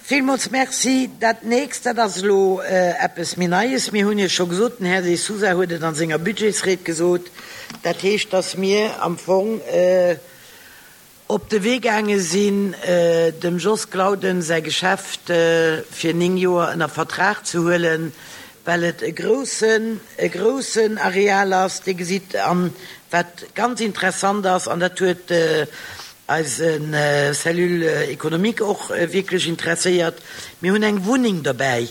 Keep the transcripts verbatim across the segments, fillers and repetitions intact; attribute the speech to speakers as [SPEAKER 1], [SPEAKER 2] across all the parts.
[SPEAKER 1] Villmools Merci. Dat Nächst, dat ass elo eppes méi Neies. Mir hunn Iech scho gesot, den Här De Sousa huet et a senger Budgetsried gesot, dat heescht, dass mir am Fong op de Wee gaange sinn, dem Jos Glauden säi Geschäft fir néng Joer ënner Vertrag ze huelen, well et e groussen, e groussen Areal ass. Dir gesitt, an wat ganz interessant ass, an dat huet eise Cellule économique och wierklech interesséiert, mir hunn eng Wunneng dobäi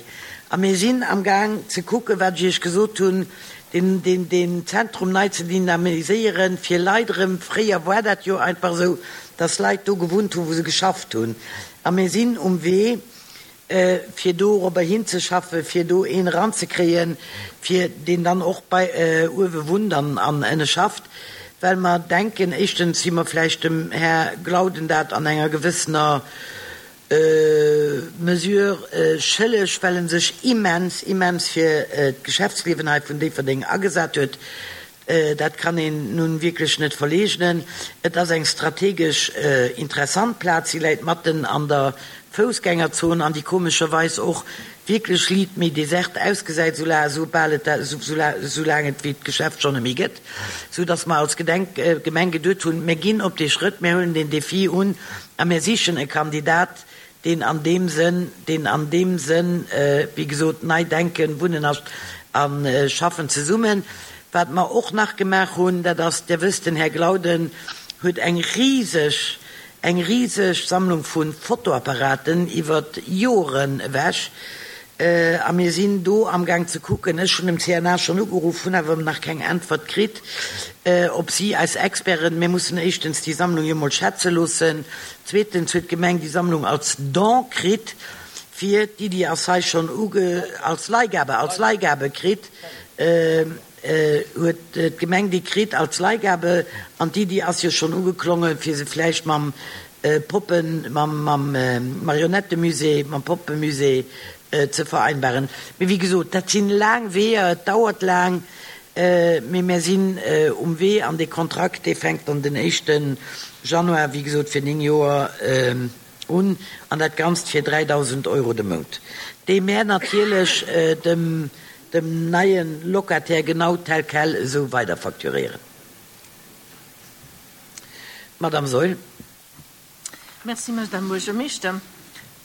[SPEAKER 1] a mir sinn amgaang ze kucken, wat ech Iech gesot hunn, deen, deen, deen Zentrum nei ze dynamiséieren, fir Leit erëm, fréier war dat jo einfach esou, dass Leit do gewunnt hunn, wou se geschafft hunn, a mir sinn um Wee, fir dorobber hinzeschaffen, fir do een eranzekréien, fir deen dann och bei uewe wunnt an an ënne schafft, well mer denken, éischtens si mer vläicht dem Här Glauden dat an enger gewëssener Mesure schëlleg, well en sech immens, immens fir d'Geschäftsliewen hei vun Déifferdeng agesat huet. Dat kann een nun wierklech net verleegnen. Et ass eng strategesch interessant Plaz. Si läit matten an der Foussgängerzon an déi komescherweis och wierklech liit méi desert ausgesäit, soubal et, soulaang et wéi d'Geschäft schonn net méi gëtt, sou dass mer als Gedenk, Gemeng geduet hunn, mir ginn op dee Schrëtt, mir huelen deen Défi un a mir sichen e Kandidat, deen an deem Sënn, deen an deem Sënn, wéi gesot, nei denken, Wunnen a Schaffen zesummen. Wat mer och nach gemaach hunn, dat ass, Dir wësst, den Här Glauden huet eng riseg, eng riseg Sammlung vu Fotoapparaten iwwer Joren ewech. A mir sinn do amgaang ze kucken, ech hunn dem C N A schonn ugeruff, hunn awer nach keng Äntwert kritt, ob si eis Experten, mir mussen éischtens déi Sammlung jo mol schätze loossen, zweetens huet d'Gemeng déi Sammlung als Don kritt, fir d'Iddi ass hei schonn uge, als Leihgabe, als Leihgabe kritt, huet d'Gemeng déi kritt als Leihgabe an d'Iddi ass jo schonn ugeklongen, fir se vläicht mam Poppen, mam, mam Marionettemusée, mam Poppemusée ze vereinbaren. Mee wéi gesot, dat sinn laang Weeër, et dauert laang, mee mär sinn um Wee an dee Kontrakt, dee fänkt dann den éischte Januar, wéi gesot, fir néng Joer un an dat Ganzt fir dräidausend Euro de Mount, déi mär natierlech dem, dem neie Locataire genau tel quel esou weiderfacturéieren. Madame Saeul.
[SPEAKER 2] Merci, Madame Buergermeeschter.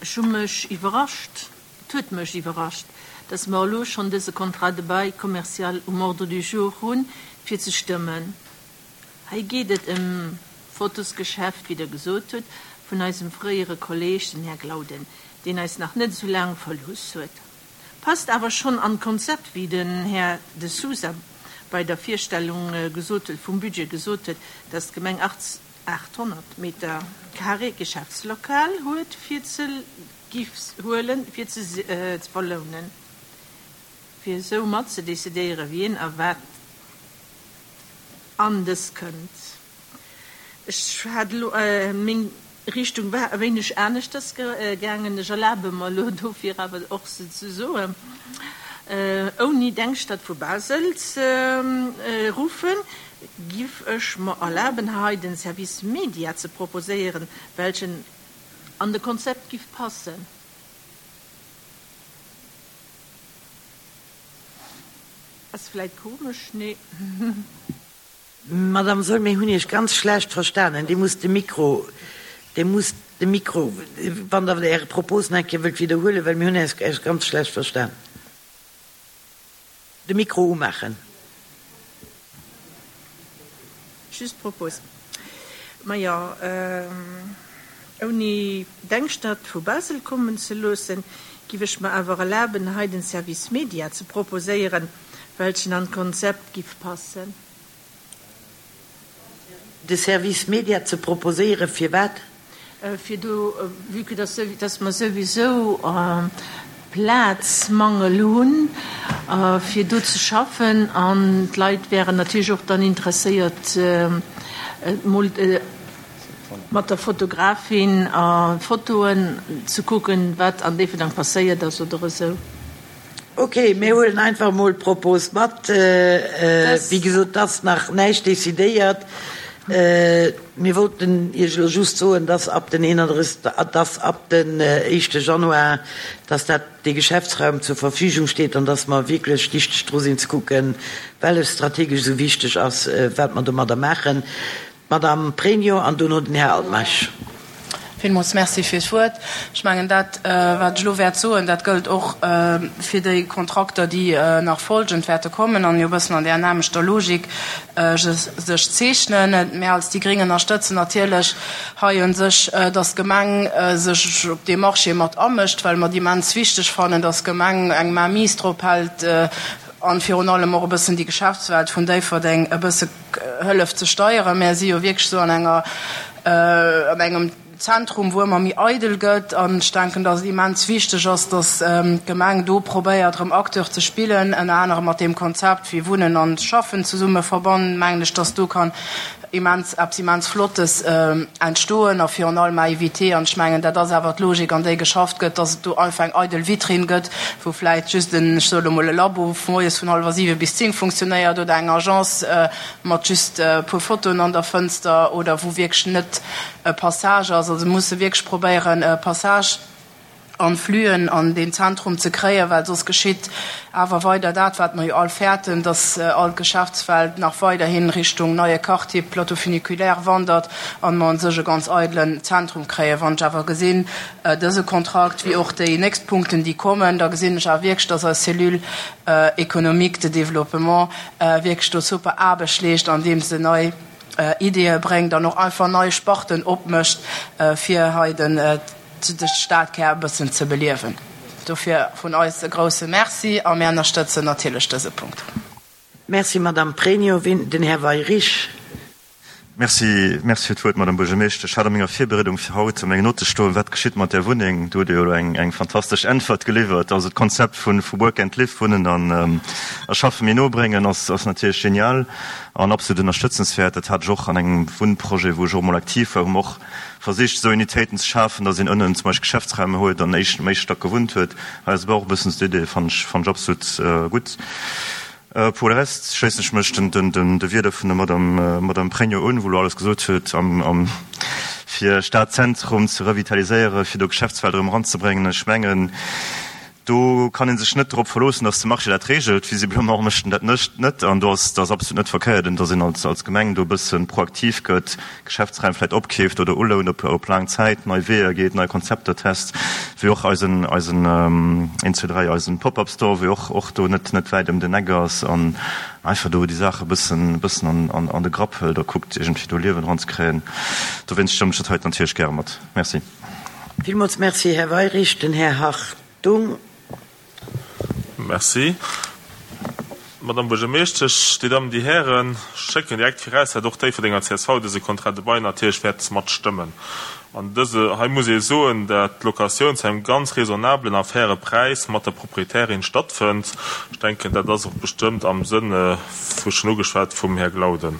[SPEAKER 2] Ech hu mech iwwerrascht, et huet mech iwwerrascht, dass mer elo schonn dëse Contrat de bail commercial um Ordre du jour hunn, fir ze stëmmen. Hei geet et ëm Fotosgeschäft, wéi Der gesot hutt, vun eisem fréiere Kolleeg, den Här Glauden, deen eis nach net esou laang verlooss huet. Passt awer schonn an d'Konzept, wéi den Här De Sousa bei der Virstellung gesot huet, vum Budget gesot huet, dass d'Gemeng aathonnert Meter carré Geschäftslokal huet, fir ze giff huelen, fir ze verlounen, fir esou mat ze decidéieren, wien a wat an dës kënnt. Ech hat elo, meng Richtung war e wéineg aneschters gaangen, ech erlabe mer elo dofir awer och se ze soen, ouni Denkstadt vu Basel ze ruffen, giff ech mer erlaben, hei den Service Media ze proposéieren, welchen an de Konzept giff passen. Ass vläit komesch, nee?
[SPEAKER 1] Madame Saeul, mir hunn Iech ganz schlecht verstanen. Dir musst de Mikro, Dir musst de Mikro, wann Der Är Propos nach eng Kéier wëllt widderhuelen, well mir hunn Iech ganz schlecht verstan. De Mikro umaachen.
[SPEAKER 2] Just Propos. Majo, ouni Denkstadt vu Basel kommen ze loossen, giff ech mer awer erlaben, hei den Service Media ze proposéieren, welchen an d'Konzept giff passen.
[SPEAKER 1] De Service Media ze proposéieren, firwat?
[SPEAKER 2] Fir do, vue que dass, dass mer souwisou Plazmangel hunn, fir do ze schaffen, an d'Leit wären natierlech och dann interesséiert, mol mat der Fotografin a Fotoen ze kucken, wat an Déifferdang passéiert ass oder esou.
[SPEAKER 1] Ok, mir huelen einfach emol d'Propos mat. Wéi gesot, et ass nach näischt decidéiert. Mir wollten Iech elo just soen, dass ab den eenanddrësseg, dass ab den éischte Januar, dass dat dee Geschäftsraum zur Verfügung steet an dass mer wierklech dichteg dru sinn ze kucken, well e strategesch esou wichteg ass, wat mer domadder maachen. D'Madame Pregno an dono den Här Altmeisch.
[SPEAKER 3] Villmools Merci fir d'Wuert. Ech mengen, dat, wat ech elo wäert soen, dat gëllt och fir déi Kontrakter, déi nach folgend wäerte kommen an jo e bëssen an där nämmlechter Logik sech zeechnen. Mir als déi Gréng ënnerstëtzen natierlech hei u sech, dass d'Gemeng sech op dee Marché mat amëscht, well mer et immens wichteg fannen, dass d'Gemeng eng Mainmise drop hält an virun allem och e bëssen déi Geschäftswelt vun Déifferdeng e bësse hëlleft ze steieren. Mir si jo wierklech esou an enger, an engem Zentrum, wou ëmmer méi eidel gëtt. An ech denken, dass et immens wichteg ass, dass d'Gemeng do probéiert, erëm Acteur ze spillen, ënner anerem mat deem Konzept, wéi Wunnen an Schaffen zesumme verbannen, mengen ech, dass do kann immens, eppes immens Flottes entstoen a virun allem à éviter, an ech mengen, dat ass awer d'Logik, an déi geschafft gëtt, dass et do einfach eng eidel Vitrinn gëtt, wou vläicht just en, ech soe lo mol, e Labo moies vun hallwer siwe bis zéng funktionéiert oder eng Agence mat just e puer Fotoen an der Fënster oder wou wierklech net e Passage ass. Also musse wierklech probéieren, e Passage an Flüen an deen Zentrum ze kréien, well soss geschitt awer weider dat, wat mer jo all fäerten, dass all d'Geschäftswelt nach weiderhin Richtung neie Quartier, Plateau funiculaire wandert an mer un sech e ganz eidelen Zentrum kréien. Wann ech awer gesinn, dëse Kontrakt wéi och déi nächst Punkten, déi kommen, da gesinn ech awer wierklech, dass eis Cellule économique de développement wierklech do super Aarbecht leescht, andeem se nei Ideeë bréngt an och einfach nei Sparten opmécht, fir hei den de Stadkär e bëssen ze beliewen. Dofir vun eis e grousse Merci a mir ënnerstëtzen natierlech dëse Punkt.
[SPEAKER 1] Merci, Madame Pregno. Den Här Weyrich.
[SPEAKER 4] Merci, merci fir d'Wuert, Madame Buergermeeschtesch. Ech hat a menger Virbereedung fir haut a mengen Note stoen, Wat geschitt mat där Wunneng? Do hutt Dir jo elo eng, eng fantastesch Äntwert geliwwert. Also d'Konzept vu, vu Work and Live, Wunnen an a Schaffe méi no bréngen, ass, ass natierlech genial an absolut ënnerstëtzenswäert. Dat hat ech och an engem Wunnprojet, wou ech och emol aktiv war, hu mer och versicht, esou Unitéiten ze schafen, datt een ënnen zum Beispill Geschäftsräume huet an éischt, am éischte Stack gewunnt huet. Hei ass awer och e bëssen d'Idee, fannen ech, fannen ech absolut gutt. Pour le reste schléissen ech mech den, den, den, de Wierder vun der Madame, Madame Pregno un, wou elo alles gesot huet, am, am, fir Stadzentrum ze revitaliséieren, fir do Geschäftswelt erëm eranzebréngen. Ech mengen, do kann ee sech net drop verloossen, dass de Marché dat regelt. Visiblement mécht en dat net. An do ass dat absolut net verkéiert, dass een als, als Gemeng do e bësse proaktiv gëtt, Geschäftsräim vläicht opkeeft oder ulount op, op laang Zäit, nei Weeër geet, nei Konzepter test, wéi och eisen, eisen een, zwee, dräi, eisen Pop-up-Store, wéi och, och do net, net wäit ëm den Eck ass an einfach do déi Saache bëssen, bëssen an, an, an de Grapp hëlt a kuckt, iergendwéi do Liewen eranzekréien. Dowéinst stëmmen ech dat heiten natierlech gäre mat. Merci.
[SPEAKER 1] Villmools Merci, Här Weyrich. Den Här Hartung.
[SPEAKER 5] Merci. Madame Buergermeeschtesch, Dir Dammen, Dir Hären, ech schécken direkt viraus, dat och d'Déifferdenger C S V dëse Contrat de bail natierlech wäert matstëmmen. An dëse hei muss ee soen, dat d'Locatioun zu engem ganz raisonnablen a faire Präis mat der Proprietärin stattfënnt. Ech denken, dat ass och bestëmmt am Sënn, wou schonn ugeschwat vum Här Glauden,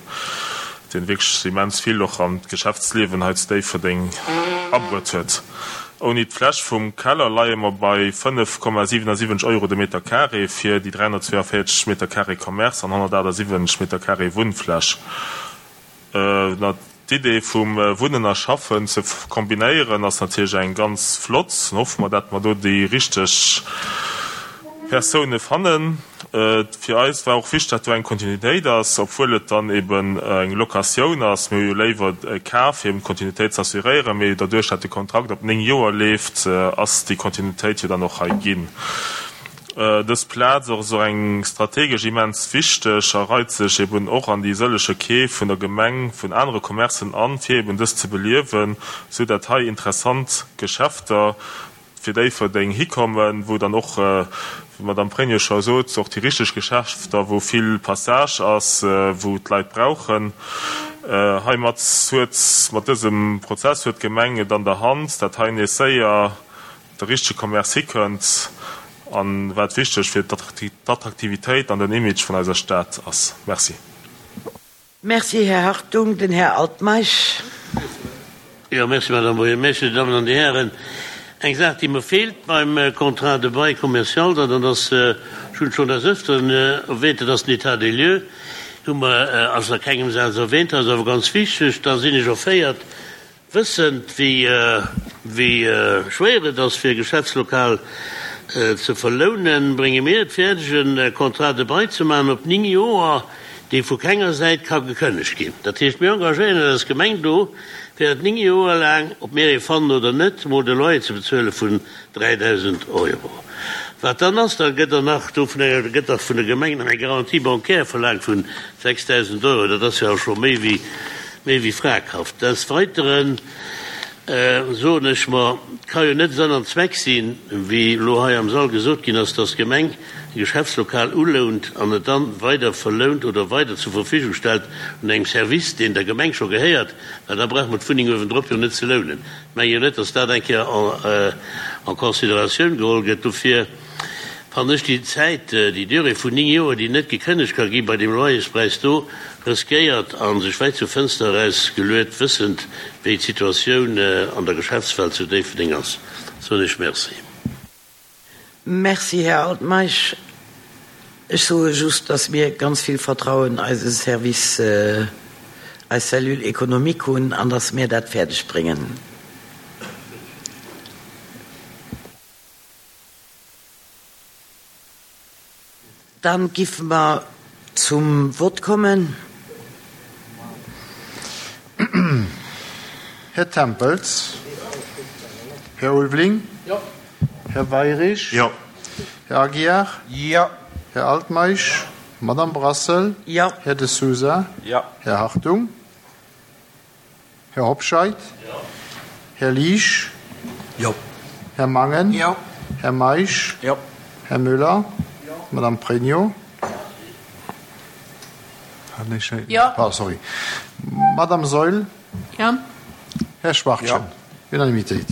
[SPEAKER 5] deen wierklech immens vill och an d'Geschäftsliewen hei zu Déifferdeng abruet huet. Ouni d'Fläch vum Keller leie mer bei fënnef Komma siwenasiwwenzeg Euro de Meter carré fir déi dräihonnertzweeënvéierzeg Meter carré Commerce an honnertaachtsiwwenzeg Meter carré Wunnfläch. D'Idee vum Wunnen a Schaffen ze kombinéieren ass natierlech eng ganz flott. Hoffe mer, dat mer do déi richteg Persoune fannen. Fir eis war och wichteg, dat do eng Kontinuitéit ass, obwuel et dann eben eng Locatioun ass. Mir hu jo léiwer e Kaf, fir eben d'Kontinuitéit ze assuréieren, mee derduerch, dat de Kontrakt op néng Joer leeft, ass déi Kontinuitéit jo dann och hei ginn. Dës Plaz och esou eng strategesch immens wichteg a reit sech eben och an déi sëllege Keef vun der Gemeng vun anere Commercen an, fir eben dës ze beliewen, sou dat hei interessant Geschäfter fir Déifferdeng hikommen, wou dann och, wéi d'Madame Pregno scho sot, och déi richteg Geschäfter, wou vill Passage ass, wou d'Leit brauchen. Heimat huet, mat dësem Prozess huet d'Gemeng et an der Hand, dat hei nees séier de richtege Commerce hikënnt an wat wichteg fir d'Attraktivitéit an den Image vun eiser Stad ass. Merci.
[SPEAKER 1] Merci, Här Hartung. Den Här Altmeisch.
[SPEAKER 6] Jo, merci, Madame Buergermeeschtesch, Dir Dammen an Dir Hären. Eng Saach, déi mer feelt beim Contrat de bail commercial, dat ass, ech hunn et schonn des Öfteren erwähnt, dat ass den État des lieux. Hu mer, ass a kengem Saz erwähnt, ass awer ganz wichteg. Da sinn ech erféiert, wëssend wéi wéi schwéier et ass fir e Geschäftslokal ze verlounen, brénge mir et fäerdeg e Contrat de bail ze maachen op néng Joer, dee vu kenger Säit ka gekënnegt ginn. Dat heescht, mir engagéieren eis als Gemeng do, fir dat néng Joer laang, ob mir ee fannen oder net, mol de Loyer ze bezuele vun dräidausend Euro. Wat dann ass, da gëtt der nach do vun enger, gëtt dach vun der Gemeng nach eng Garantie bancaire verlaangt vun sechsdausend Euro. Dat ass jo awer scho méi wéi, méi wéi fraghaft. Des Weiteren soen ech mer, et ka jo net Sënn an Zweck sinn, wéi elo hei am Sall gesot ginn ass, dass d'Gemeng e Geschäftslokal ulount an et dann weider verlount oder weider zur Verfügung stellt un engem Service, deen der Gemeng scho gehéiert, well da brauche mer d'Wunneng uewendrop jo net ze lounen. Ech menge jo net, dass dat eng Kéier en considératioun geholl gëtt. Dofir fannen ech déi Zäit, déi Durée vun néng Joer, déi net gekënnegt ka gi bei deem Loyerspräis do, riskéiert a sech wäit zur Fënster eraus geluet, wëssend wéi d'Situatioun an der Geschäftswelt zu Déifferdeng ass, soen ech Merci.
[SPEAKER 1] Merci, Här Altmeisch. Ech soe just, dass mir ganz vill Vertrauen eise Service, eis Cellule économique hunn an dass mir dat fäerdeg bréngen. Dann giffe mer zum Vott kommen.
[SPEAKER 7] Här Tempels. Här Ulveling. Här Weirich. Här Aguiar. Här Altmeisch. Madame Brassel. Här De Sousa. Här Hartung. Här Hobscheit. Här Liesch. Här Mangen. Här Meisch. Här Müller. Madame Pregno. Ah, sorry. Madame Saeul. Här Schwachtgen. Unanimitéit.